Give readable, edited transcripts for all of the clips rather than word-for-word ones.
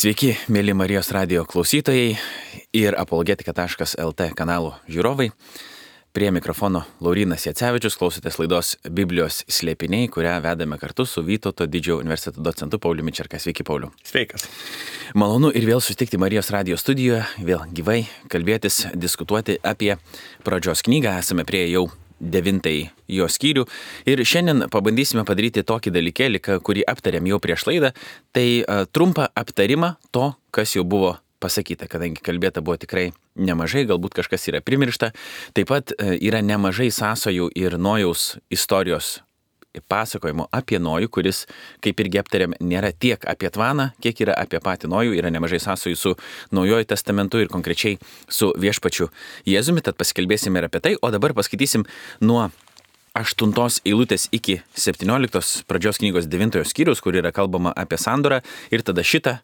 Sveiki, mėly Marijos radijo klausytojai ir apologetika.lt kanalų žiūrovai. Prie mikrofono Laurynas Jacevičius, klausotės laidos Biblijos slėpiniai, kurią vedame kartu su Vytauto didžiojo universiteto docentu Pauliumi Čerka. Sveiki, Pauliu. Sveikas. Malonu ir vėl susitikti Marijos radijo studijoje, vėl gyvai kalbėtis, diskutuoti apie pradžios knygą. Esame prie jau 9 jo skyrių ir šiandien pabandysime padaryti tokį dalykėlį, kurį aptarėm jau prieš laidą. Tai trumpą aptarimą to, kas jau buvo pasakyta, kadangi kalbėta buvo tikrai nemažai, galbūt kažkas yra primiršta. Taip pat yra nemažai sąsajų ir Nojaus istorijos pasakojimo apie Nojų, kuris, kaip irgi aptarėm, nėra tiek apie Tvaną, kiek yra apie patį Nojų. Yra nemažai sąsajų su Naujojo testamentu ir konkrečiai su viešpačiu Jėzumi, tad pasikalbėsime ir apie tai. O dabar paskaitysim nuo 8 eilutės iki 17 pradžios knygos 9 skyrius, kur yra kalbama apie sandorą, ir tada šitą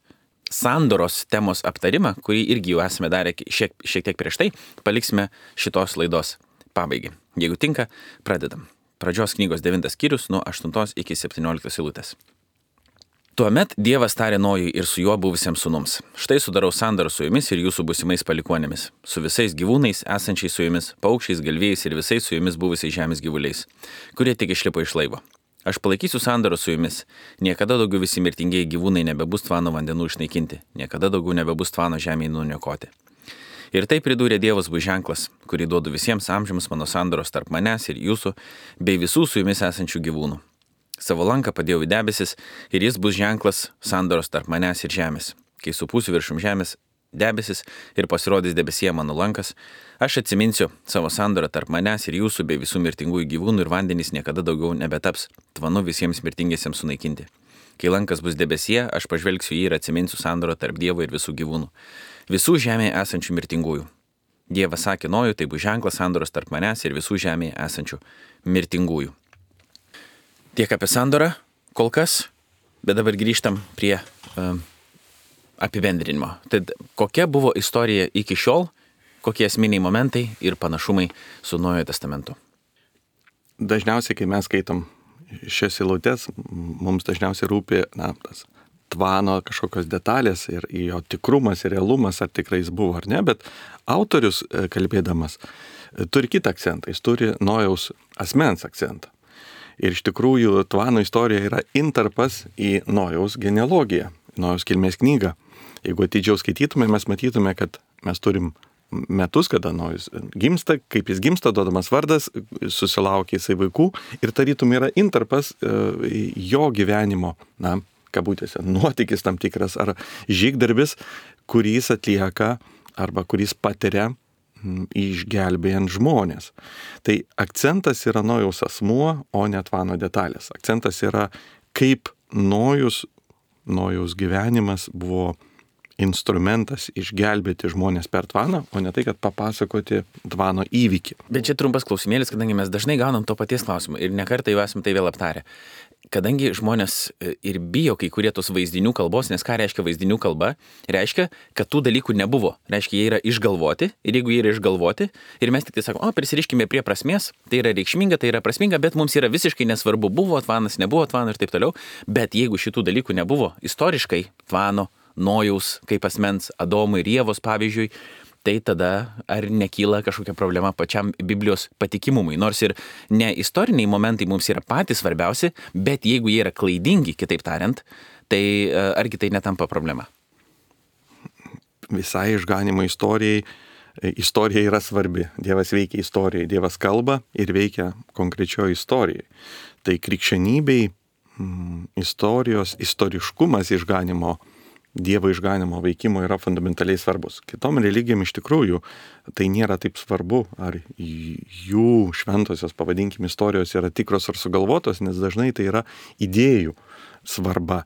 sandoros temos aptarimą, kurį irgi jau esame darę šiek tiek prieš tai, paliksime šitos laidos pabaigai. Jeigu tinka, pradedam. Pradžios knygos 9 skyrius nuo 8 iki 17 eilutės. Tuomet Dievas tarė Nojui ir su juo buvusiems sūnums: štai sudarau sandorą su jumis ir jūsų būsimais palikuonėmis, su visais gyvūnais esančiais su jumis, paukščiais, galvijais ir visais su jumis buvusiais žemės gyvuliais, kurie tik išlipo iš laivo. Aš palaikysiu sandorą su jumis. Niekada daugiau visi mirtingieji gyvūnai nebebus Tvano vandenų išnaikinti, niekada daugiau nebebus Tvano žemėje nuniokoti. Ir tai pridūrė Dievas bus ženklas, kurį duodu visiems amžiams mano sandoros tarp manęs ir jūsų, bei visų su jumis esančių gyvūnų. Savo lanką padėjau į debesis ir jis bus ženklas sandoros tarp manęs ir žemės. Kai supūsiu viršum žemės debesis ir pasirodys debesyje mano lankas, aš atsiminsiu savo sandorą tarp manęs ir jūsų bei visų mirtingųjų gyvūnų ir vandenys niekada daugiau nebetaps Tvanu visiems mirtingiesiems sunaikinti. Kai lankas bus debesyje, aš pažvelgsiu jį ir atsiminsiu sandorą tarp Dievo ir visų gyvūnų, visų žemėje esančių mirtingųjų. Dievas sakė Nojui, tai bus ženklas sandoros tarp manęs ir visų žemėje esančių mirtingųjų. Tiek apie sandorą kol kas, bet dabar grįžtam prie apibendrinimo. Tad kokia buvo istorija iki šiol, kokie esminiai momentai ir panašumai su Naujojo testamentu? Dažniausiai, kai mes skaitom šias eilutes, mums dažniausiai rūpi tas Tvano kažkokios detalės ir jo tikrumas ir realumas, ar tikrai jis buvo ar ne, bet autorius, kalbėdamas, turi kitą akcentą, jis turi Nojaus asmens akcentą. Ir iš tikrųjų Tvano istorija yra intarpas į Nojaus genealogiją, Nojaus kilmės knygą. Jeigu atidžiau skaitytume, mes matytume, kad mes turim metus, kada Nojus gimsta, kaip jis gimsta, duodamas vardas, susilaukia jisai vaikų ir tarytum yra intarpas jo gyvenimo, kabutėse, nuotykis tam tikras ar žygdarbis, kurį jis atlieka arba kuris patiria išgelbėjant žmonės. Tai akcentas yra Nojaus asmuo, o ne Tvano detalės. Akcentas yra, kaip Nojaus gyvenimas buvo instrumentas išgelbėti žmonės per Tvaną, o ne tai, kad papasakoti Tvano įvykį. Bet čia trumpas klausimėlis, kadangi mes dažnai gaunam to paties klausimą ir nekartą jau esame tai vėl aptarę. Kadangi žmonės ir bijo kai kurie tos vaizdinių kalbos, nes ką reiškia vaizdinių kalba? Reiškia, kad tų dalykų nebuvo. Reiškia, jie yra išgalvoti ir jeigu jie yra išgalvoti ir mes tik tai sakome, prisiriškime prie prasmės, tai yra reikšminga, tai yra prasminga, bet mums yra visiškai nesvarbu, buvo Tvanas, nebuvo Tvano ir taip toliau. Bet jeigu šitų dalykų nebuvo istoriškai, Tvano, Nojaus kaip asmens, Adomo ir Ievos pavyzdžiui, tai tada ar nekyla kažkokia problema pačiam Biblijos patikimumui. Nors ir ne istoriniai momentai mums yra patys svarbiausi, bet jeigu jie yra klaidingi, kitaip tariant, tai argi tai netampa problema? Visai išganimo istorija yra svarbi. Dievas veikia istorijai, Dievas kalba ir veikia konkrečioje istorijai. Tai krikščionybei istoriškumas išganimo, Dievo išganimo veikimo yra fundamentaliai svarbus. Kitom religijom iš tikrųjų tai nėra taip svarbu, ar jų šventosios, pavadinkim, istorijos yra tikros ar sugalvotos, nes dažnai tai yra idėjų svarba.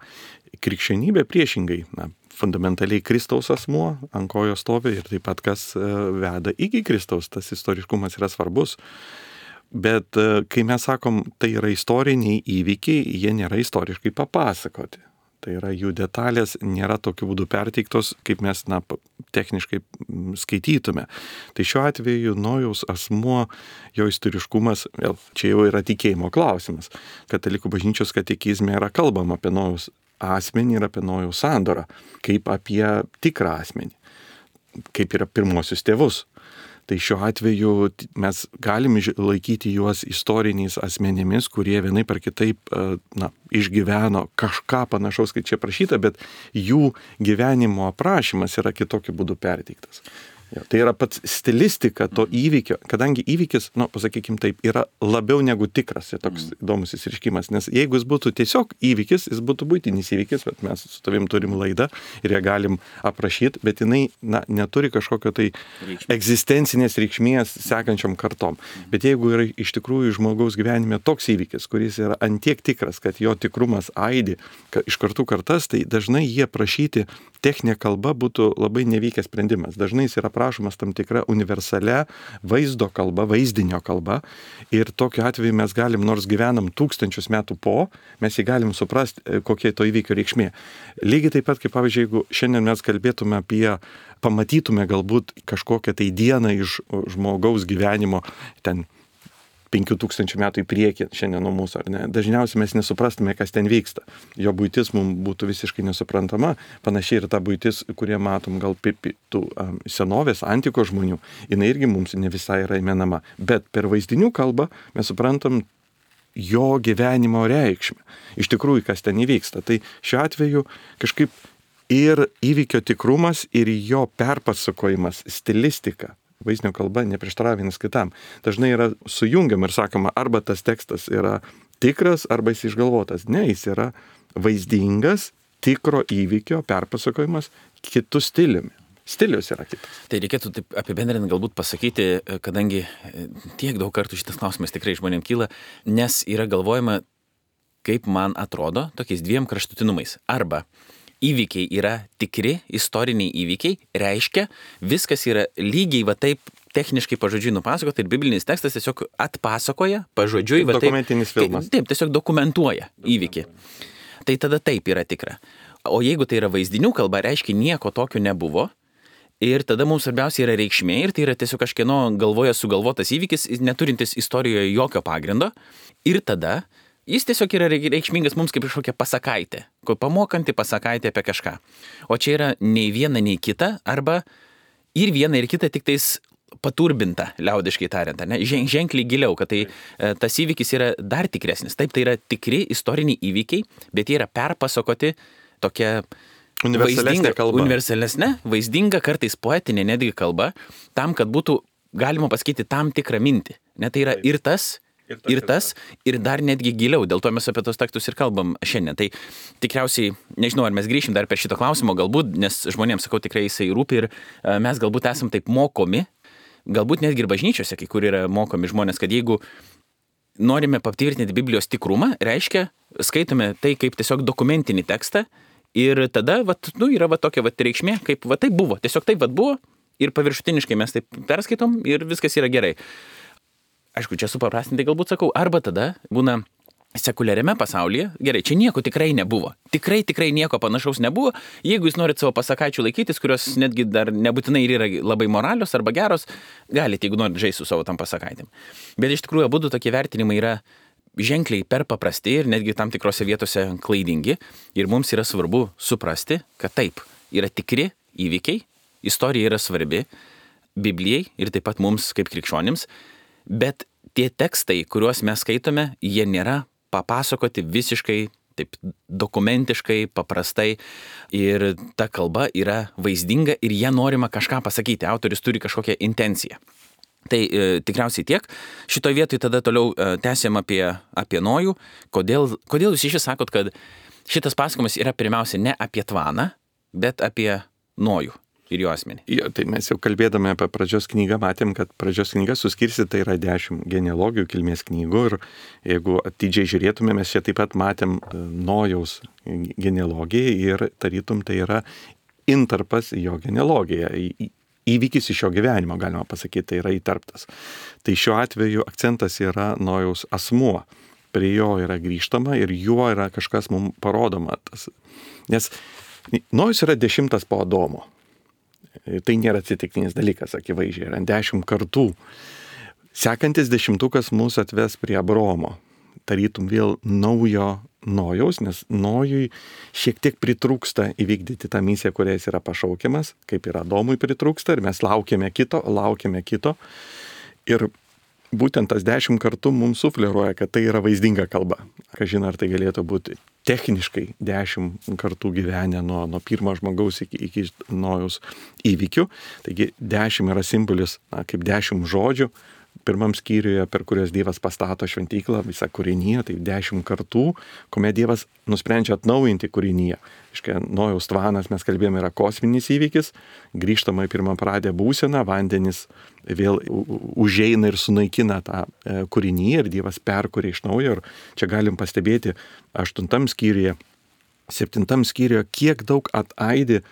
Krikščionybė priešingai, fundamentaliai Kristaus asmuo ant kojo stovi ir taip pat kas veda iki Kristaus, tas istoriškumas yra svarbus. Bet kai mes sakom, tai yra istoriniai įvykiai, jie nėra istoriškai papasakoti. Tai yra jų detalės nėra tokiu būdu perteiktos, kaip mes techniškai skaitytume. Tai šiuo atveju Nojaus asmuo, jo istoriškumas, vėl čia jau yra tikėjimo klausimas. Katalikų bažnyčios katekizme yra kalbama apie Nojaus asmenį ir apie Nojaus sandorą, kaip apie tikrą asmenį, kaip yra pirmosius tėvus. Tai šiuo atveju mes galim laikyti juos istoriniais asmenimis, kurie vienaip ar kitaip išgyveno kažką panašaus, kaip čia prašyta, bet jų gyvenimo aprašymas yra kitokiu būdu perteiktas. Tai yra pats stilistika to įvykio, kadangi įvykis, pasakykim taip, yra labiau negu tikras, toks įdomus įsiriškimas, nes jeigu jis būtų tiesiog įvykis, jis būtų buitinis įvykis, bet mes su tavim turim laidą ir ją galim aprašyti, bet jinai neturi kažkokio tai egzistencinės reikšmės sekančiom kartom. Bet jeigu yra iš tikrųjų žmogaus gyvenime toks įvykis, kuris yra antiek tikras, kad jo tikrumas aidi iš kartų kartas, tai dažnai jie prašyti techninė kalba būtų labai nevykęs sprendimas. Dažnai jis yra prašomas tam tikra universalia vaizdo kalba, vaizdinio kalba ir tokiu atveju mes galim, nors gyvenam tūkstančius metų mes jį galim suprasti, kokia to įvykio reikšmė. Lygiai taip pat, kaip pavyzdžiui, jeigu šiandien mes kalbėtume pamatytume galbūt kažkokią tai dieną iš žmogaus gyvenimo, ten 5000 metų į priekį šiandien nuo mūsų, ar ne? Dažniausiai mes nesuprastume, kas ten vyksta. Jo buitis mums būtų visiškai nesuprantama, panašiai ir ta buitis, kurie matom gal tų senovės, antikos žmonių, jinai irgi mums ne visai yra įmenama. Bet per vaizdinių kalbą mes suprantam jo gyvenimo reikšmę. Iš tikrųjų, kas ten įvyksta. Tai šiuo atveju kažkaip ir įvykio tikrumas, ir jo perpasakojimas, stilistika, vaizdinio kalba neprieštarauja vienas kitam. Dažnai yra sujungiama ir sakoma, arba tas tekstas yra tikras, arba jis išgalvotas. Ne, jis yra vaizdingas, tikro įvykio perpasakojimas kitų stiliumi. Stilius yra kitas. Tai reikėtų taip apibendrinant galbūt pasakyti, kadangi tiek daug kartų šitas klausimas tikrai žmonėms kyla, nes yra galvojama, kaip man atrodo, tokiais dviem kraštutinumais. Arba įvykiai yra tikri, istoriniai įvykiai, reiškia, viskas yra lygiai va taip techniškai pažodžiui nupasakota ir biblinis tekstas tiesiog atpasakoja pažodžiui. Dokumentinis filmas. Taip, tiesiog dokumentuoja įvykį. Tai tada taip yra tikra. O jeigu tai yra vaizdinių kalba, reiškia nieko tokio nebuvo ir tada mums svarbiausia yra reikšmė ir tai yra tiesiog kažkieno galvoje sugalvotas įvykis, neturintis istorijoje jokio pagrindo ir tada jis tiesiog yra reikšmingas mums kaip kažkokia pasakaitė, pamokanti pasakaitė apie kažką. O čia yra nei viena, nei kita, arba ir viena, ir kita tik tais paturbinta, liaudiškai tariant, ne? Ženkliai giliau, kad tai tas įvykis yra dar tikresnis. Taip, tai yra tikri istoriniai įvykiai, bet jie yra perpasakoti tokia universalesnė, vaizdinga, kartais poetinė netgi kalba, tam, kad būtų galima pasakyti tam tikrą mintį. Ne, tai yra ir tas, ir dar netgi giliau, dėl to mes apie tos tekstus ir kalbam šiandien. Tai tikriausiai, nežinau, ar mes grįšim dar per šito klausimo, galbūt, nes žmonėms, sakau, tikrai jisai rūpi ir mes galbūt esam taip mokomi, galbūt netgi ir bažnyčiose, kai kur yra mokomi žmonės, kad jeigu norime patvirtinti Biblijos tikrumą, reiškia, skaitome tai kaip tiesiog dokumentinį tekstą ir tada, yra tokia reikšmė, kaip taip buvo, tiesiog taip buvo ir paviršutiniškai mes taip perskaitom ir viskas yra gerai. Aišku, čia supaprastintai galbūt sakau, arba tada būna sekuliariame pasaulyje, gerai, čia nieko tikrai nebuvo. Tikrai nieko panašaus nebuvo. Jeigu jūs norit savo pasakaičių laikytis, kurios netgi dar nebūtinai ir yra labai moralios arba geros, galite, jeigu norit žaisti su savo tam pasakaitėm. Bet iš tikrųjų abudu tokie vertinimai yra ženkliai per paprasti ir netgi tam tikrose vietose klaidingi. Ir mums yra svarbu suprasti, kad taip, yra tikri įvykiai, istorija yra svarbi Biblijai ir taip pat mums kaip krikščionims. Bet tie tekstai, kuriuos mes skaitome, jie nėra papasakoti visiškai taip dokumentiškai, paprastai ir ta kalba yra vaizdinga ir jie norima kažką pasakyti, autorius turi kažkokią intenciją. Tai tikriausiai tiek. Šitoje vietoje tada toliau tęsiam apie Nojų. Kodėl jūs iš vis sakot, kad šitas pasakojimas yra pirmiausia ne apie Tvaną, bet apie Nojų ir jo asmenį? Jo, tai mes jau kalbėdami apie pradžios knygą matėm, kad pradžios knyga suskirstyta yra 10 genealogijų kilmės knygų ir jeigu atidžiai žiūrėtume, mes čia taip pat matėm Nojaus genealogiją ir tarytum tai yra intarpas į jo genealogiją. Įvykis iš jo gyvenimo, galima pasakyti, tai yra įtarptas. Tai šiuo atveju akcentas yra Nojaus asmuo. Prie jo yra grįžtama ir juo yra kažkas mums parodoma. Nes Nojus yra 10 po Adomo. Tai nėra atsitiktinis dalykas, akivaizdžiai, yra 10 kartų. Sekantis 10 mus atves prie Abraomo. Tarytum vėl naujo Nojaus, nes Nojui šiek tiek pritrūksta įvykdyti tą misiją, kurią jis yra pašaukiamas, kaip ir Adomui pritrūksta, ir mes laukiame kito. Ir būtent tas 10 kartų mums sufleruoja, kad tai yra vaizdinga kalba. Kažin, ar tai galėtų būti techniškai 10 kartų gyvenę nuo pirmo žmogaus iki Nojaus įvykių. Taigi 10 yra simbolis, kaip 10 žodžių. Pirmam skyriuje, per kurios Dievas pastato šventyklą, visą kūrinyje, tai 10 kartų, kuomet Dievas nusprendžia atnaujinti kūrinyje. Nojaus tvanas, mes kalbėjome, yra kosminis įvykis, grįžtama į pirmapradę būseną, vandenis vėl užeina ir sunaikina tą kūrinyje ir Dievas perkuria iš naujo. Ir čia galim pastebėti 8 skyriuje, 7 skyriuje, kiek daug ataidi,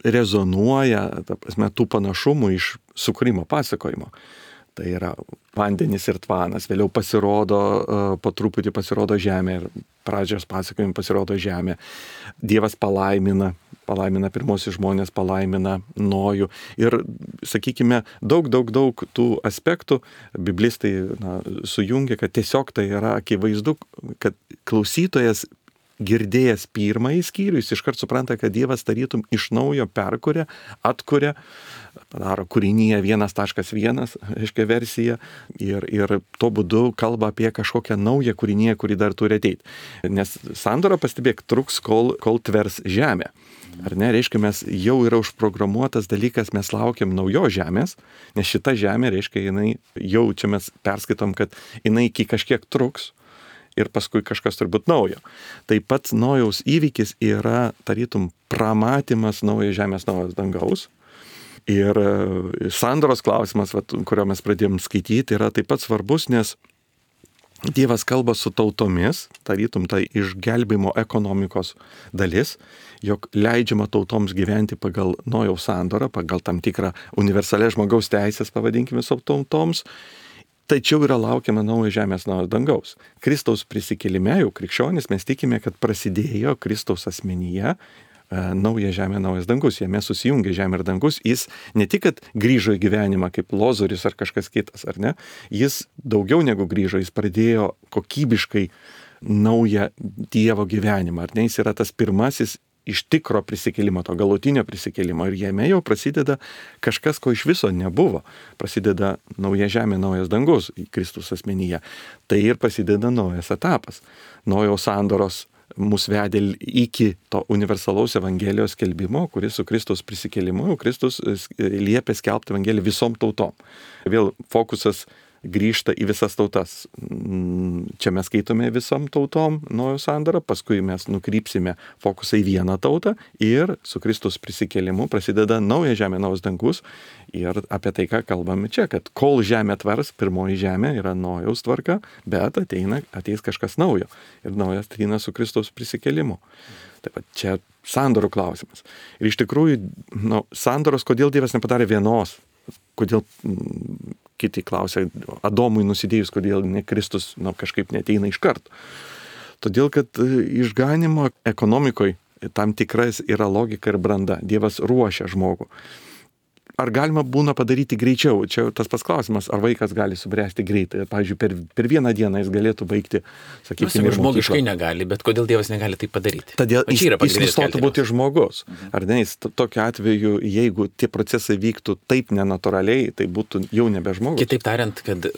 rezonuoja, tų panašumų iš sukūrimo pasakojimo. Tai yra vandenis ir tvanas, vėliau po truputį pasirodo žemė ir pradžios pasakojimai pasirodo žemė. Dievas palaimina pirmosius žmonės, palaimina Nojų. Ir, sakykime, daug tų aspektų biblistai sujungia, kad tiesiog tai yra akivaizdu, kad klausytojas girdėjęs pirmąjį skyrių, jis iškart supranta, kad Dievas tarytum iš naujo perkuria, atkuria, padaro kūrinyje 1.1, reiškia versiją, ir tuo būdu kalba apie kažkokią naują kūrinyje, kuri dar turi ateiti. Nes sandora, pastebėk, truks, kol tvers žemę. Ar ne, reiškia, mes jau yra užprogramuotas dalykas, mes laukiam naujos žemės, nes šita žemė, reiškia, jinai jau čia mes perskaitom, kad jinai iki kažkiek truks, ir paskui kažkas turbūt naujo. Taip pat Nojaus įvykis yra tarytum pramatymas naujo žemės, naujos dangaus. Ir sandoros klausimas, kurio mes pradėjom skaityti, yra taip pat svarbus, nes Dievas kalba su tautomis, tarytum tai išgelbėjimo ekonomikos dalis, jog leidžiama tautoms gyventi pagal Nojaus sandorą, pagal tam tikrą universalę žmogaus teisės, pavadinkime, su tautoms. Tačiau yra laukiama naujo žemės, naujo dangaus. Kristaus prisikėlime, jau krikščionys, mes tikime, kad prasidėjo Kristaus asmenyje nauja žemė, naujas dangus. Jame susijungė žemė ir dangus. Jis ne tik, kad grįžo į gyvenimą kaip Lozorius ar kažkas kitas, ar ne? Jis daugiau negu grįžo, jis pradėjo kokybiškai naują Dievo gyvenimą. Ar ne? Jis yra tas pirmasis iš tikro prisikėlimo, to galutinio prisikėlimo. Ir jame jau prasideda kažkas, ko iš viso nebuvo. Prasideda nauja žemė, naujas dangus į Kristus asmenyje. Tai ir prasideda naujas etapas. Nojaus sandoros mus vedė iki to universalaus Evangelijos skelbimo, kuris su Kristus prisikėlimu, Kristus liepė skelbti Evangeliją visom tautom. Vėl fokusas grįžta į visas tautas. Čia mes skaitome visom tautom Nojaus sandorą, paskui mes nukrypsime fokusą į vieną tautą ir su Kristus prisikėlimu prasideda nauja žemė, naujas dangus. Ir apie tai, ką kalbame čia, kad kol žemė tvers, pirmoji žemė yra Nojaus tvarka, bet ateis kažkas naujo. Ir naujas ateina su Kristus prisikėlimu. Taip pat čia sandorų klausimas. Ir iš tikrųjų, sandoros, kodėl Dievas nepadarė vienos? Kodėl kiti klausia, Adomui nusidėjus, kodėl ne Kristus kažkaip neteina iš karto. Todėl, kad išganimo ekonomikoje tam tikras yra logika ir branda. Dievas ruošia žmogų. Ar galima būna padaryti greičiau? Čia tas pats klausimas, ar vaikas gali subręsti greitai. Pavyzdžiui, per vieną dieną jis galėtų baigti, sakykime, žmogiškai negali, bet kodėl Dievas negali tai padaryti? Todėl jis nustotų būti žmogus. Ar ne, jis tokiu atveju, jeigu tie procesai vyktų taip nenatūraliai, tai būtų jau nebe žmogus. Kitaip tariant, kad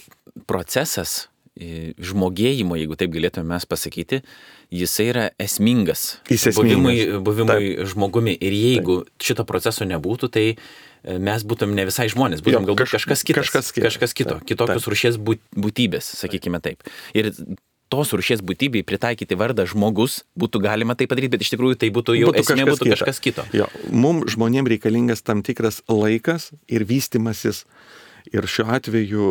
procesas žmogėjimo, jeigu taip galėtume mes pasakyti, jisai yra esmingas. Buvimui žmogumi. Ir jeigu šito proceso nebūtų, tai mes būtum ne visai žmonės, būtum galbūt kažkas kito, kitokios rūšies būtybės, sakykime taip. Ir tos rūšies būtybei pritaikyti vardą žmogus būtų galima tai padaryti, bet iš tikrųjų tai būtų jau esmė, būtų kažkas kito. Mums žmonėms reikalingas tam tikras laikas ir vystimasis. Ir šiuo atveju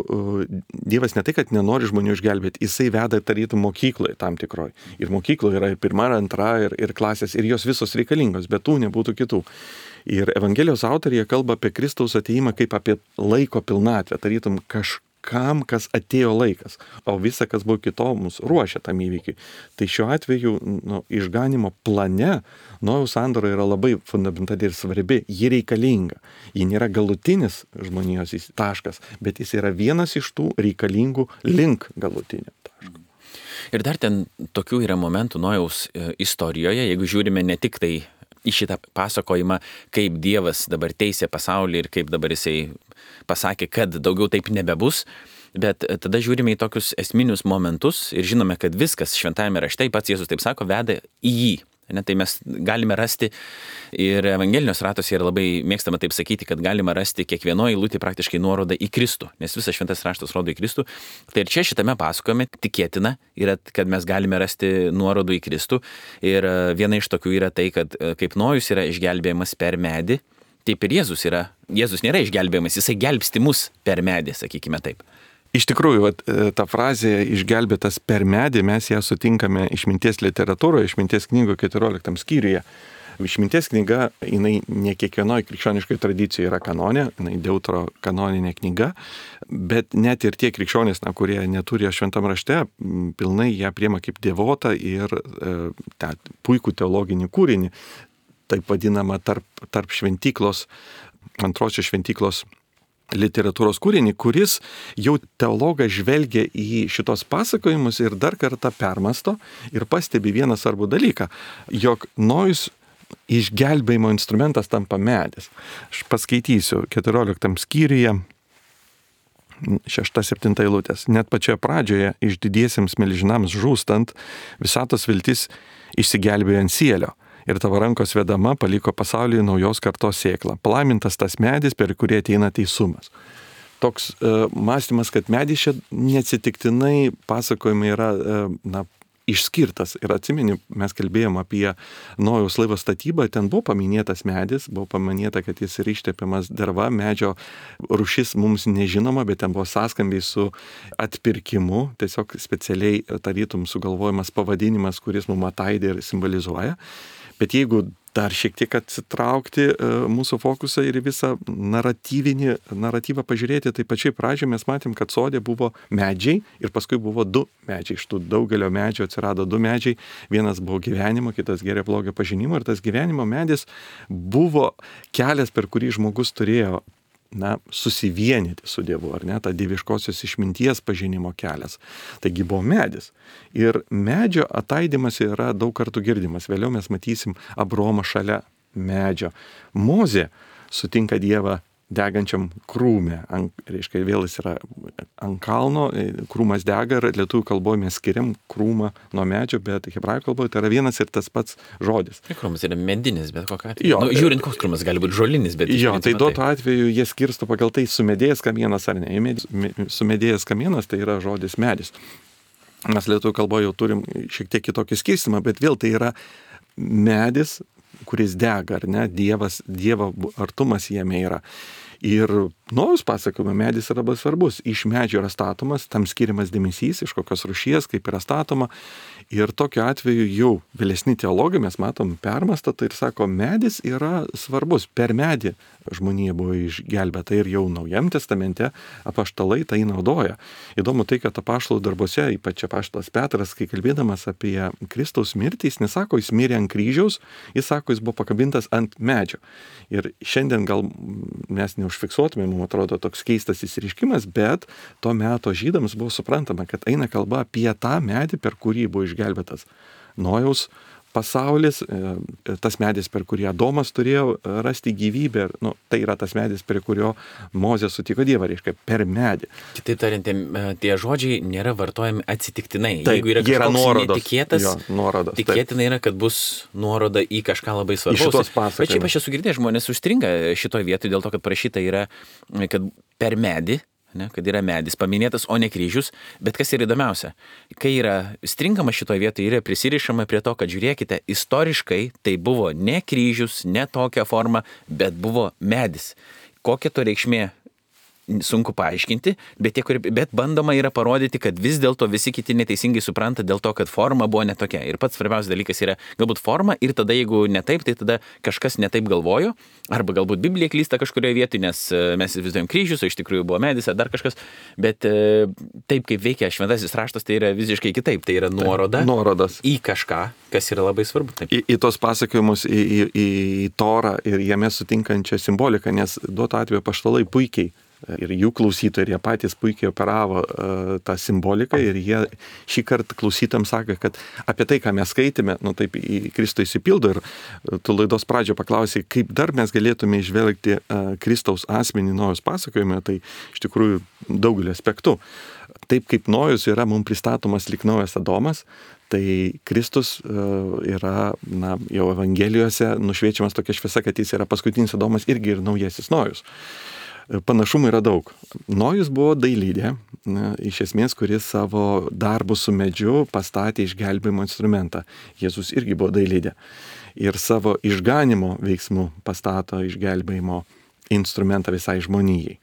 Dievas ne tai, kad nenori žmonių išgelbėti, jisai veda tarytum mokykloje tam tikroj. Ir mokykloje yra pirma, antra ir klasės, ir jos visos reikalingos, bet tų nebūtų kitų. Ir Evangelijos autorija kalba apie Kristaus atėjimą kaip apie laiko pilnatvę, tarytum kažkam, kas atėjo laikas, o visa, kas buvo kito, mus ruošia tam įvykiui. Tai šiuo atveju išganimo plane Nojaus sandora yra labai fundamentali ir svarbi, ji reikalinga. Ji nėra galutinis žmonijos taškas, bet jis yra vienas iš tų reikalingų link galutinio taško. Ir dar ten tokių yra momentų Nojaus istorijoje, jeigu žiūrime ne tik tai į šitą pasakojimą, kaip Dievas dabar teisė pasaulį ir kaip dabar jisai pasakė, kad daugiau taip nebebus, bet tada žiūrime į tokius esminius momentus ir žinome, kad viskas šventajame rašte, pats Jėzus taip sako, veda į jį. Ne, tai mes galime rasti ir evangelinios ratose yra labai mėgstama taip sakyti, kad galima rasti kiekvienoje eilutėje praktiškai nuorodą į Kristų, nes visas šventas raštas rodo į Kristų. Tai ir čia šitame pasakojime tikėtina yra, kad mes galime rasti nuorodų į Kristų. Ir viena iš tokių yra tai, kad kaip Nojus yra išgelbėjimas per medį, taip ir Jėzus yra. Jėzus nėra išgelbėjimas, jisai gelbsti mus per medį, sakykime taip. Iš tikrųjų, ta frazė išgelbėtas per medį, mes ją sutinkame išminties literatūroje, išminties knygų 14 skyriuje. Išminties knyga, jinai ne kiekvienoje krikščioniškoje tradicijoje yra kanonė, jinai deutero kanoninė knyga, bet net ir tie krikščionys, kurie neturi šventam rašte, pilnai ją priima kaip dievotą ir tą puikų teologinį kūrinį, taip vadinama tarp šventyklos, antrosios šventyklos literatūros kūrinį, kuris jau teologas žvelgia į šitos pasakojimus ir dar kartą permasto ir pastebi vieną svarbų dalyką, jog Nojus išgelbėjimo instrumentas tampa medis. Aš paskaitysiu 14 skyriuje 6-7 eilutės. Net pačioje pradžioje išdidiesiems milžinams žūstant, visatos viltis išsigelbėjo ant sielio. Ir tavo rankos vedama paliko pasaulyje naujos kartos sėklą. Palaimintas tas medis, per kurį ateina teisumas. Toks mąstymas, kad medis čia neatsitiktinai pasakojimai yra išskirtas. Ir atsimeni, mes kalbėjom apie Nojaus laivo statybą, ten buvo paminėtas medis, buvo paminėta, kad jis yra ištepiamas derva, medžio rūšis mums nežinoma, bet ten buvo sąskambiai su atpirkimu, tiesiog specialiai tarytum sugalvojamas pavadinimas, kuris mums ataidė ir simbolizuoja. Bet jeigu dar šiek tiek atsitraukti mūsų fokusą ir visą naratyvą pažiūrėti, tai pačiai pradžioje mes matėm, kad sode buvo medžiai ir paskui buvo 2 medžiai. Iš tų daugelio medžių atsirado 2 medžiai. Vienas buvo gyvenimo, kitas gėrio blogio pažinimo ir tas gyvenimo medis buvo kelias, per kurį žmogus turėjo susivienyti su Dievu, ar ne, ta dieviškosios išminties pažinimo kelias. Taigi buvo medis. Ir medžio ataidimas yra daug kartų girdimas. Vėliau mes matysim Abraomą šalia medžio. Mozė sutinka Dievą degančiam krūme. Reiškia, vėl jis yra ant kalno, krūmas dega ir lietuvių kalboje mes skiriam krūmą nuo medžio, bet hebrajų kalboje tai yra vienas ir tas pats žodis. Krūmas yra medinis, bet kokia atveju. Žiūrint, koks krūmas gali būti žolinis, bet tai duotų atveju jie skirsto pagal tai sumedėjęs kamienas ar ne. Sumedėjęs kamienas tai yra žodis medis. Mes lietuvių kalboje jau turim šiek tiek kitokį skirstimą, bet vėl tai yra medis, kuris dega, ar ne, Dievo artumas jame yra. Ir Nojus pasakojime medis yra labai svarbus. Iš medžio yra statomas, tam skiriamas dėmesys, iš kokios rūšies, kaip yra statoma. Ir tokiu atveju jau vėlesni teologai, mes matom, permastą tai ir sako, medis yra svarbus. Per medį žmonija buvo išgelbėta ir jau Naujam testamente apaštalai tai naudoja. Įdomu tai, kad apaštalų darbuose, ypač apaštalas Petras, kai kalbėdamas apie Kristaus mirtį, jis nesako, jis mirė ant kryžiaus, jis sako, jis buvo pakabintas ant medžio. Ir šiandien gal mes neužfiksuotume, mums atrodo toks keistas įsireiškimas, bet to meto žydams buvo suprantama, kad eina kalba apie tą medį, per kurį buvo išgelbėtas Nojaus pasaulis, tas medis, per kurį Adomas turėjo rasti gyvybę, tai yra tas medis, prie kurio Mozė sutiko Dievą, reiškia, per medį. Kitaip tariant, tie žodžiai nėra vartojami atsitiktinai. Taip, jeigu yra kažkoks netikėtas, nuorodos, tikėtina yra, kad bus nuoroda į kažką labai svarbaus. Bet šiaip aš esu girdėjęs, žmonės užstringa šitoje vietoje dėl to, kad parašyta yra, kad per medį, kad yra medis paminėtas, o ne kryžius, bet kas yra įdomiausia, kai yra stringama šitoje vietoje, yra prisirišama prie to, kad žiūrėkite, istoriškai tai buvo ne kryžius, ne tokia forma, bet buvo medis. Kokia to reikšmė? Sunku paaiškinti, bet bandoma yra parodyti, kad vis dėlto visi kiti neteisingai supranta dėl to, kad forma buvo netokia. Ir pats svarbiausias dalykas yra galbūt forma ir tada, jeigu netaip, tai tada kažkas netaip galvojo, arba galbūt Biblija klysta kažkurioje vietoje, nes mes įsivaizduojam kryžius, o iš tikrųjų buvo medis ar dar kažkas, bet taip kaip veikia šventasis raštas, tai yra visiškai kitaip, tai yra nuorodas į kažką, kas yra labai svarbu. Taip. Į tos pasakojimus, į Torą ir jame sutinkančią simboliką, nes duoto atveju apaštalai puikiai Ir jų klausytojai, ir jie patys puikiai operavo tą simboliką ir jie šį kartą klausytams sako, kad apie tai, ką mes skaitėme, taip į Kristų įsipildo ir tu laidos pradžio paklausai, kaip dar mes galėtume išvelgti Kristaus asmenį Nojaus pasakojime, tai iš tikrųjų daugelį aspektų. Taip kaip Nojus yra mums pristatomas lyg naujas Adomas, tai Kristus yra jau Evangelijose nušviečiamas tokia šviesa, kad jis yra paskutinis Adomas irgi ir naujasis Nojus. Panašumų yra daug. Nojus buvo dailydė, iš esmės, kuris savo darbų su medžiu pastatė išgelbėjimo instrumentą. Jėzus irgi buvo dailydė. Ir savo išganimo veiksmų pastato išgelbėjimo instrumentą visai žmonijai.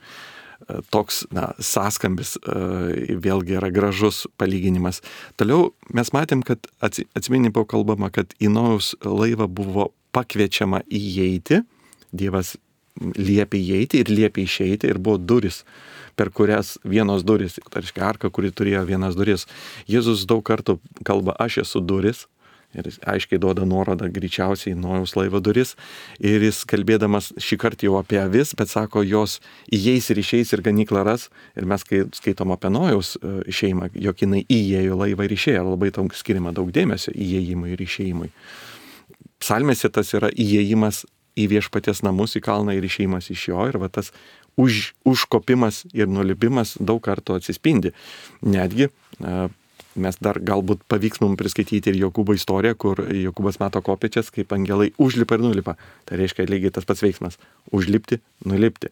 Toks sąskambis vėlgi yra gražus palyginimas. Toliau mes matėm, kad atsimeni buvo kalbama, kad į Nojaus laivą buvo pakviečiama įeiti, Dievas liepė įeiti ir liepė išeiti ir buvo duris, per kurias vienos duris, tai reiškia arka, kuri turėjo vienas duris. Jėzus daug kartų kalba, aš esu duris ir jis aiškiai duoda nuorodą greičiausiai Nojaus laivo duris ir jis kalbėdamas šį kartą jau apie avis, bet sako, jos įeis ir išeis ir ganyklą ras ir mes kai skaitom apie Nojaus šeimą, jog jinai įėjo laivą ir išėjo, labai daug skiriama daug dėmesio įėjimui ir išėjimui. Psalmėse tas yra įėjimas į viešpaties namus, į kalną ir išėjimas iš jo ir va tas užkopimas ir nulipimas daug kartų atsispindi. Netgi mes dar galbūt pavyks mums priskaityti ir Jokūbo istoriją, kur Jokūbas mato kopėčias, kaip angelai užlipa ir nulipa. Tai reiškia lygiai tas pats veiksmas - užlipti, nulipti.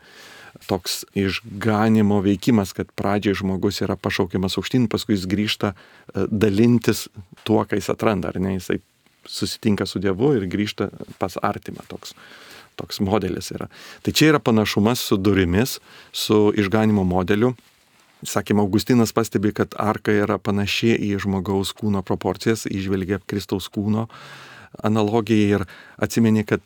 Toks išganimo veikimas, kad pradžiai žmogus yra pašaukiamas aukštyn, paskui jis grįžta dalintis tuo, ką jis atranda, ar ne, jisai susitinka su Dievu ir grįžta pas artimą. Toks modelis yra. Tai čia yra panašumas su durimis, su išganimo modeliu. Sakėme, Augustinas pastebi, kad arka yra panaši į žmogaus kūno proporcijas, įžvelgia Kristaus kūno analogiją ir atsimeni, kad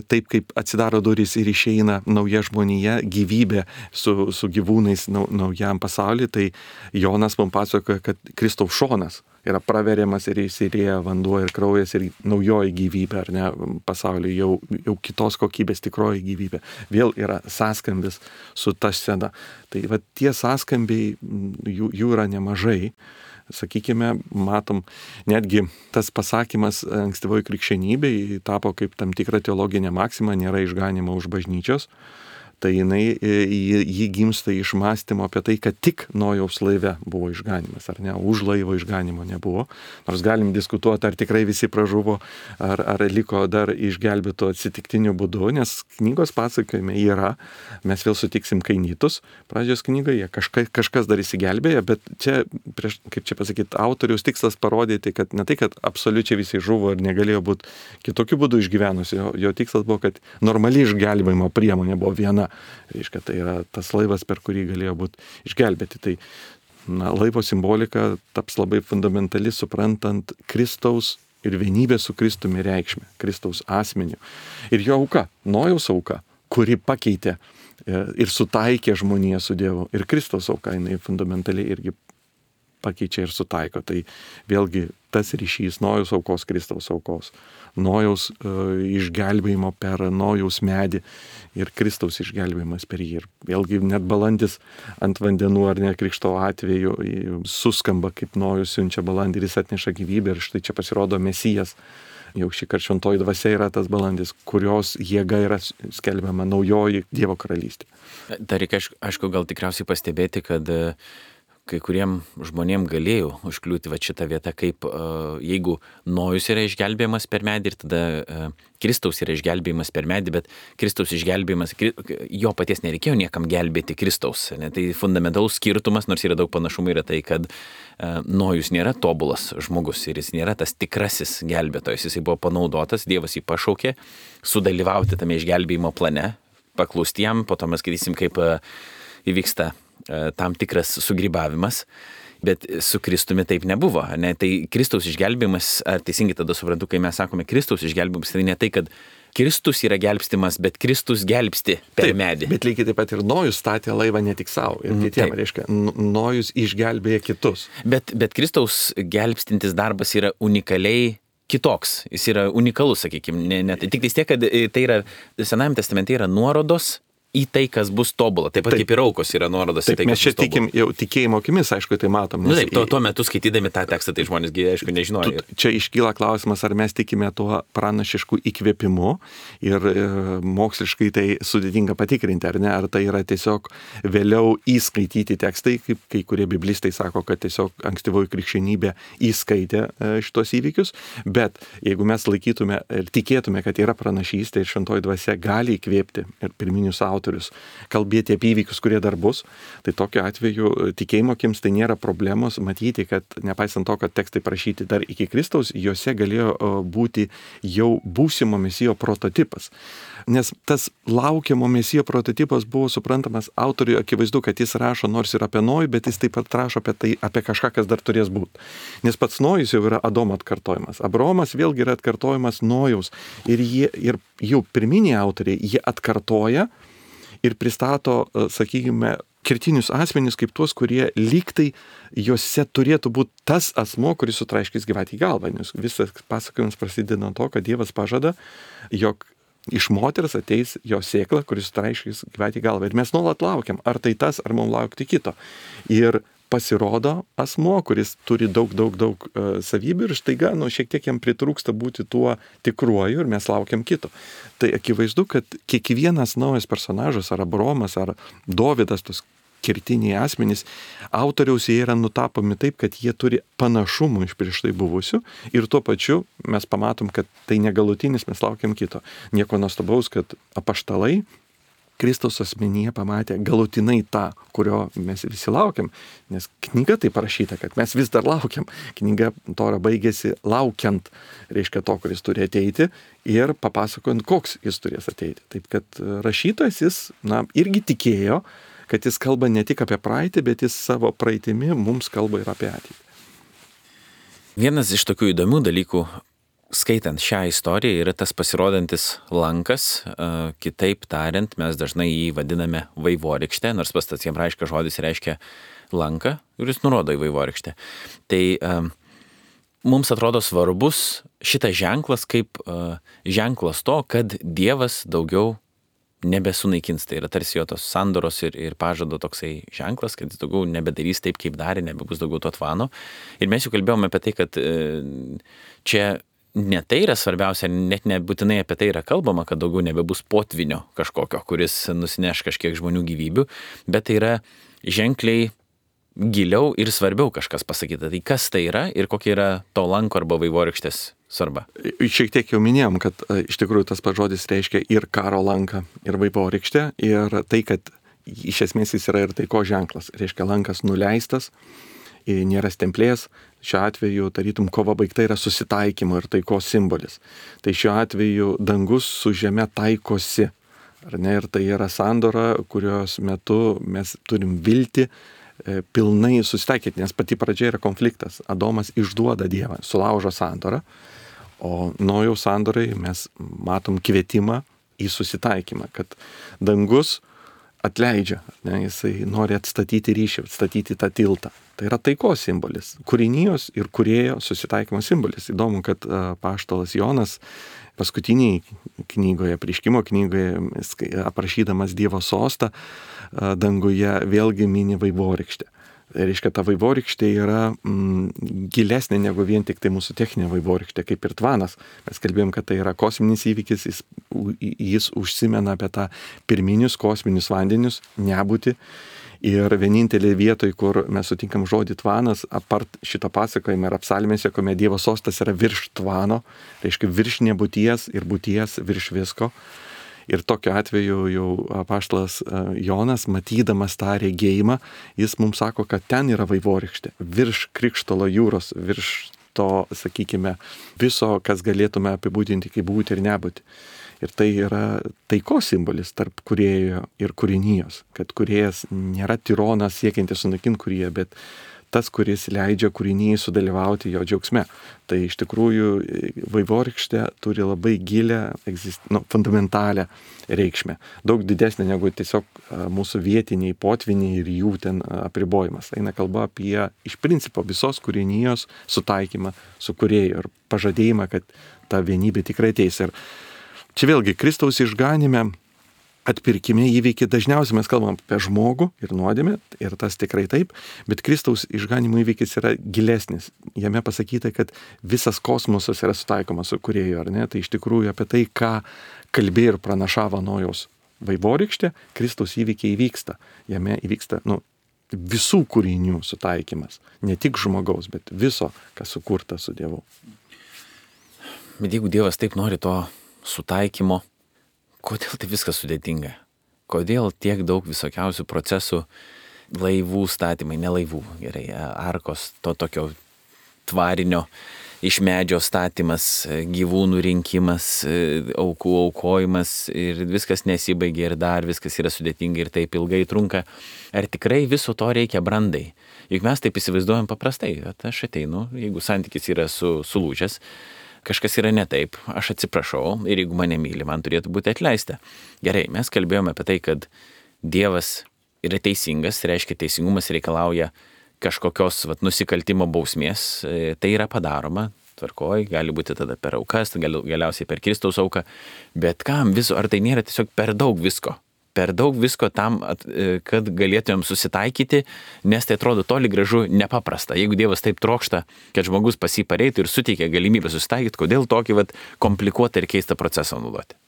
taip kaip atsidaro durys ir išeina nauja žmonija, gyvybė su gyvūnais naujam pasauliui, tai Jonas mums pasakoja, kad Kristaus šonas yra praveriamas ir įsirėja vanduo ir kraujas ir naujoji gyvybė, ar ne, pasaulyje jau kitos kokybės tikroji gyvybė. Vėl yra sąskambis su ta scena. Tai va, tie sąskambiai, jų yra nemažai. Sakykime, matom, netgi tas pasakymas ankstyvoji krikščionybė tapo kaip tam tikra teologinė maksima, nėra išganimo už bažnyčios. Tai jį gimsta iš mąstymo apie tai, kad tik Nojaus laive buvo išganimas, ar ne, už laivo išganimo nebuvo. Nors galim diskutuoti, ar tikrai visi pražuvo, ar liko dar išgelbėto atsitiktiniu būdu, nes knygos pasakojime yra, mes vėl sutiksim Kainitus, pradžios knygoje, kažkas dar įsigelbėjo, bet čia, kaip čia pasakyti, autoriaus tikslas parodyti, kad ne tai, kad absoliučiai visi žuvo ir negalėjo būti kitokiu būdu išgyvenusi, jo tikslas buvo, kad normali išgelbėjimo priemonė buvo viena. Reiškia, tai yra tas laivas, per kurį galėjo būti išgelbėti. Tai laivo simbolika taps labai fundamentali, suprantant Kristaus ir vienybę su Kristumi reikšmę, Kristaus asmeniu. Ir jo auka, Nojaus auka, kuri pakeitė ir sutaikė žmoniją su Dievu. Ir Kristaus auka, jinai fundamentaliai irgi pakeičia ir sutaiko. Tai vėlgi tas ryšys Nojaus aukos, Kristaus aukos. Nojaus išgelbėjimo per Nojaus medį ir Kristaus išgelbėjimas per jį. Ir vėlgi net balandis ant vandenų ar ne Krikšto atveju suskamba, kaip Nojus siunčia balandį ir jis atneša gyvybę ir štai čia pasirodo Mesijas. Jau šį kartą šventoji dvasia yra tas balandis, kurios jėga yra skelbiama naujoji Dievo karalystė. Dar reikia, aišku, gal tikriausiai pastebėti, kad kai kuriem žmonėm galėjo užkliūti va šitą vietą, kaip jeigu Nojus yra išgelbėjimas per medį ir tada Kristaus yra išgelbėjimas per medį, bet Kristaus išgelbėjimas, jo paties nereikėjo niekam gelbėti Kristaus. Ne? Tai fundamentalus skirtumas, nors yra daug panašumų, yra tai, kad Nojus nėra tobulas žmogus ir jis nėra tas tikrasis gelbėtojas. Jisai buvo panaudotas, Dievas jį pašaukė sudalyvauti tame išgelbėjimo plane, paklusti jam, po to mes skaitysim, kaip įvyksta tam tikras sugrybavimas, bet su Kristumi taip nebuvo. Ne? Tai Kristaus išgelbėjimas, ar teisingai tada suprantu, kai mes sakome Kristaus išgelbėjimas, tai ne tai, kad Kristus yra gelbstimas, bet Kristus gelbsti per medį. Bet lygiai taip pat ir Nojus statė laivą ne tik savo, ir kitiem, reiškia, Nojus išgelbėja kitus. Bet Kristaus gelbstintis darbas yra unikaliai kitoks, jis yra unikalus, sakykime. Tik tiek, kad tai yra, Senajame testamente yra nuorodos į tai, kas bus tobula. Taip pat kaip ir aukos yra nuorodas į tai, kas bus tobula. Mes čia tikim jau tikėjimo akimis, aišku, tai matom. Taip, tuo metu skaitydami tą tekstą, tai žmonėsgi, aišku, nežinojo. Čia iškyla klausimas, ar mes tikime tuo pranašišku įkvėpimu ir moksliškai tai sudėtinga patikrinti, ar ne, ar tai yra tiesiog vėliau įskaityti tekstai, kaip kai kurie biblistai sako, kad tiesiog ankstyvoji krikščionybė įskaitė šitos įvykius, bet jeigu mes laikytume ir tikėtume, kad yra pranašystė ir šventoji dvasia gali įkvėpti ir pirminius autorius kalbėti apie įvykius, kurie dar bus, tai tokiu atveju tikėjimo akims tai nėra problemos matyti, kad nepaisant to, kad tekstai parašyti dar iki Kristaus, juose galėjo būti jau būsimo mesijo prototipas. Nes tas laukiamo mesijo prototipas buvo suprantamas autoriui akivaizdu, kad jis rašo nors ir apie Nojų, bet jis taip pat rašo apie kažką, kas dar turės būti. Nes pats Nojus jau yra Adomo atkartojimas. Abraomas vėlgi yra atkartojimas Nojaus. Ir jų pirminiai autoriai, jie atkartoja ir pristato, sakykime, kertinius asmenis kaip tuos, kurie lygtai juose turėtų būti tas asmo, kuris sutraiškys gyvatį į galvą. Nes visas pasakojimas prasideda nuo to, kad Dievas pažada, jog iš moters ateis jo sėkla, kuris sutraiškys gyvatį į galvą. Ir mes nuolat laukiam, ar tai tas, ar mums laukti kito. Ir pasirodo asmo, kuris turi daug savybių ir štaiga, šiek tiek jam pritrūksta būti tuo tikruoju ir mes laukiam kito. Tai akivaizdu, kad kiekvienas naujas personažas, ar Abraomas, ar Dovydas, tos kertiniai asmenys, autoriaus jie yra nutapomi taip, kad jie turi panašumų iš prieš tai buvusių ir tuo pačiu mes pamatom, kad tai negalutinis, mes laukiam kito. Nieko nuostabaus, kad apaštalai Kristaus asmenyje pamatė galutinai tą, kurio mes visi laukiam, nes knyga tai parašyta, kad mes vis dar laukiam. Knyga Tora baigėsi laukiant, reiškia to, kuris turi ateiti ir papasakojant, koks jis turės ateiti. Taip kad rašytojas jis, irgi tikėjo, kad jis kalba ne tik apie praeitį, bet jis savo praeitimi mums kalba ir apie ateitį. Vienas iš tokių įdomių dalykų, skaitant šią istoriją, yra tas pasirodantis lankas, kitaip tariant, mes dažnai jį vadiname vaivorykšte, nors pats tas hebrajiškas žodis reiškia lanką ir jis nurodo į vaivorykštę. Tai mums atrodo svarbus šitas ženklas kaip ženklas to, kad Dievas daugiau nebesunaikins. Tai yra tarsi jo tos sandoros ir pažado toksai ženklas, kad jis daugiau nebedarys taip, kaip darė, nebebus daugiau to tvano. Ir mes jau kalbėjome apie tai, kad čia ne tai yra svarbiausia, net nebūtinai apie tai yra kalbama, kad daugiau nebebus potvinio kažkokio, kuris nusineš kažkiek žmonių gyvybių, bet tai yra ženkliai giliau ir svarbiau kažkas pasakyta. Tai kas tai yra ir kokia yra to lanko arba vaivorykštės svarba? Šiek tiek jau minėjom, kad iš tikrųjų tas pats žodis reiškia ir karo lanką, ir vaivorykštę, ir tai, kad iš esmės jis yra ir taiko ženklas. Reiškia lankas nuleistas, nėra stemplės. Šiuo atveju, tarytum, kova baigta yra susitaikymo ir taikos simbolis. Tai šiuo atveju dangus su žeme taikosi. Ar ne? Ir tai yra sandora, kurios metu mes turim viltį pilnai susitaikyti, nes pati pradžia yra konfliktas. Adomas išduoda Dievą, sulaužo sandorą, o Nojaus sandorai mes matom kvietimą į susitaikymą, kad dangus atleidžia, ne, jisai nori atstatyti ryšį, atstatyti tą tiltą. Tai yra taikos simbolis, kūrinijos ir kūrėjo susitaikymo simbolis. Įdomu, kad apaštalas Jonas paskutiniai knygoje, Apreiškimo knygoje, aprašydamas Dievo sostą danguje, vėlgi mini vaivorykštę. Tai reiškia, ta vaivorykštė yra gilesnė negu vien tik tai mūsų techninė vaivorykštė, kaip ir tvanas. Mes kalbėjom, kad tai yra kosminis įvykis, jis užsimena apie tą pirminius kosminius vandenius, nebūti. Ir vienintelė vietoj, kur mes sutinkam žodį tvanas, apart šito pasakojimo ir apsalmėse, kuomet Dievo sostas yra virš tvano, reiškia virš nebūties ir būties virš visko. Ir tokiu atveju jau apaštalas Jonas, matydamas tą regėjimą, jis mums sako, kad ten yra vaivorykštė, virš Krikštolo jūros, virš to, sakykime, viso, kas galėtume apibūdinti kaip būti ir nebūti. Ir tai yra taikos simbolis tarp kūrėjo ir kūrinijos, kad kūrėjas nėra tironas siekiantis sunaikinti kūrėją, bet tas, kuris leidžia kūrinijai sudalyvauti jo džiaugsme. Tai iš tikrųjų vaivorykštė turi labai gilę, fundamentalią reikšmę. Daug didesnė negu tiesiog mūsų vietiniai potviniai ir jų ten apribojimas. Eina kalba apie iš principo visos kūrinijos sutaikymą su kūrėju ir pažadėjimą, kad ta vienybė tikrai ateis. Ir čia vėlgi Kristaus išganime atpirkime įvykį dažniausiai mes kalbam apie žmogų ir nuodėmę, ir tas tikrai taip, bet Kristaus išganimo įvykis yra gilesnis. Jame pasakyta, kad visas kosmosas yra sutaikomas su Kūrėju, ar ne? Tai iš tikrųjų apie tai, ką kalbėjo ir pranašavo Nojaus vaivorykštė, Kristaus įvykiai įvyksta. Jame įvyksta, visų kūrinių sutaikymas. Ne tik žmogaus, bet viso, kas sukurta su Dievu. Bet jeigu Dievas taip nori to sutaikymo, kodėl tai viskas sudėtinga? Kodėl tiek daug visokiausių procesų, laivų statymai, ne laivų, gerai, arkos, to tokio tvarinio iš medžio statymas, gyvūnų rinkimas, aukų aukojimas ir viskas nesibaigia ir dar viskas yra sudėtinga ir taip ilgai trunka. Ar tikrai viso to reikia brandai? Juk mes taip įsivaizduojam paprastai, aš ateinu, jeigu santykis yra sulūžęs, kažkas yra ne taip, aš atsiprašau ir jeigu mane myli, man turėtų būti atleista. Gerai, mes kalbėjome apie tai, kad Dievas yra teisingas, reiškia teisingumas reikalauja kažkokios nusikaltimo bausmės, tai yra padaroma, tvarkoj, gali būti tada per aukas, galiausiai per Kristaus auką, bet kam viso, ar tai nėra tiesiog per daug visko? Per daug visko tam, kad galėtumėm susitaikyti, nes tai atrodo toli gražu nepaprasta. Jeigu Dievas taip trokšta, kad žmogus pas jį pareitų ir suteikia galimybę susitaikyti, kodėl tokį komplikuotą ir keistą procesą naudoti?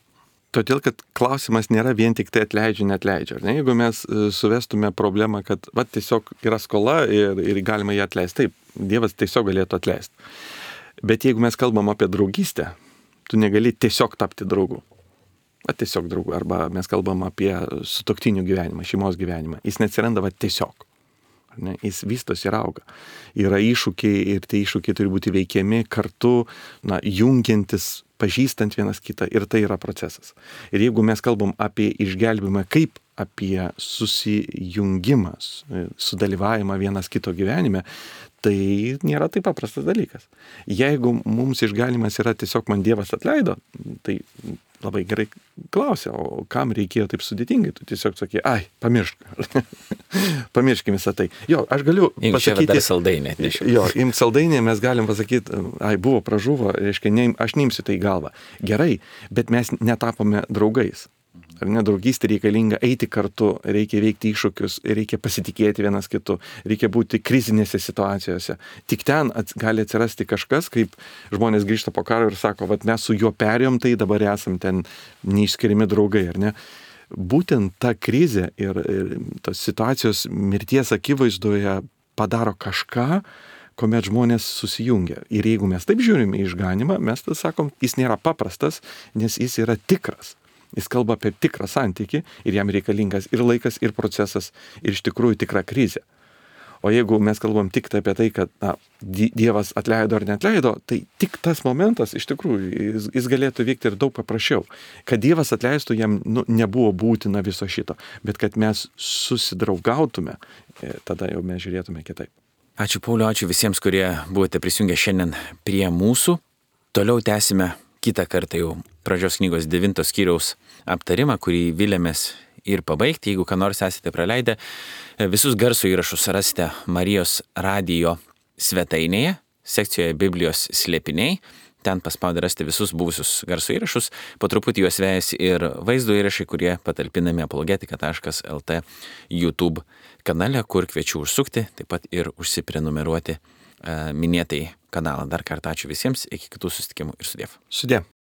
Todėl, kad klausimas nėra vien tik tai atleidžia, neatleidžia. Ne? Jeigu mes suvestume problemą, kad tiesiog yra skola ir galima ją atleisti, taip, Dievas tiesiog galėtų atleisti. Bet jeigu mes kalbam apie draugystę, tu negali tiesiog tapti draugu. Tiesiog draugų, arba mes kalbam apie sutuoktinių gyvenimą, šeimos gyvenimą. Jis neatsiranda tiesiog. Ne? Jis vystosi ir auga. Yra iššūkiai ir tie iššūkiai turi būti veikiami kartu, jungiantis, pažįstant vienas kitą, ir tai yra procesas. Ir jeigu mes kalbam apie išgelbimą kaip apie susijungimą, sudalyvavimą vienas kito gyvenime, tai nėra taip paprastas dalykas. Jeigu mums išgalimas yra tiesiog man Dievas atleido, tai labai gerai klausia, o kam reikėjo taip sudėtingai? Tu tiesiog sakai, pamiršk. Pamirškim visą tai. Jo, aš galiu pasakyti... Jeigu čia dar saldainė. Jo, imti saldainė mes galim pasakyti, buvo pražuvo, reiškia, aš neimsiu tai į galvą. Gerai, bet mes netapome draugais. Ar ne, draugystė reikalinga eiti kartu, reikia veikti iššūkius, reikia pasitikėti vienas kitu, reikia būti krizinėse situacijose. Tik ten gali atsirasti kažkas, kaip žmonės grįžta po karo ir sako, mes su juo perėjom, tai dabar esam ten neišskiriami draugai, ar ne? Būtent ta krizė ir tos situacijos mirties akivaizdoje padaro kažką, kuomet žmonės susijungia. Ir jeigu mes taip žiūrime į išganimą, mes tada sakom, jis nėra paprastas, nes jis yra tikras. Jis kalba apie tikrą santykį ir jam reikalingas ir laikas, ir procesas, ir iš tikrųjų tikra krizė. O jeigu mes kalbam tik apie tai, kad Dievas atleido ar neatleido, tai tik tas momentas iš tikrųjų jis galėtų vykti ir daug paprasčiau. Kad Dievas atleistų, jam nebuvo būtina viso šito, bet kad mes susidraugautume, tada jau mes žiūrėtume kitaip. Ačiū Pauliau, ačiū visiems, kurie buvote prisijungę šiandien prie mūsų. Toliau tęsime kitą kartą jau pradžios knygos 9 skyriaus aptarimą, kurį vilėmės ir pabaigti. Jeigu ką nors esate praleidę, visus garso įrašus rasite Marijos radijo svetainėje, sekcijoje Biblijos slėpiniai. Ten paspaudę rasite visus buvusius garso įrašus. Po truputį juos vejasi ir vaizdo įrašai, kurie patalpinami apologetika.lt YouTube kanale, kur kviečiu užsukti, taip pat ir užsiprenumeruoti minėtai kanalą. Dar kartą ačiū visiems, iki kitų susitikimų ir sudiev. Sudiev.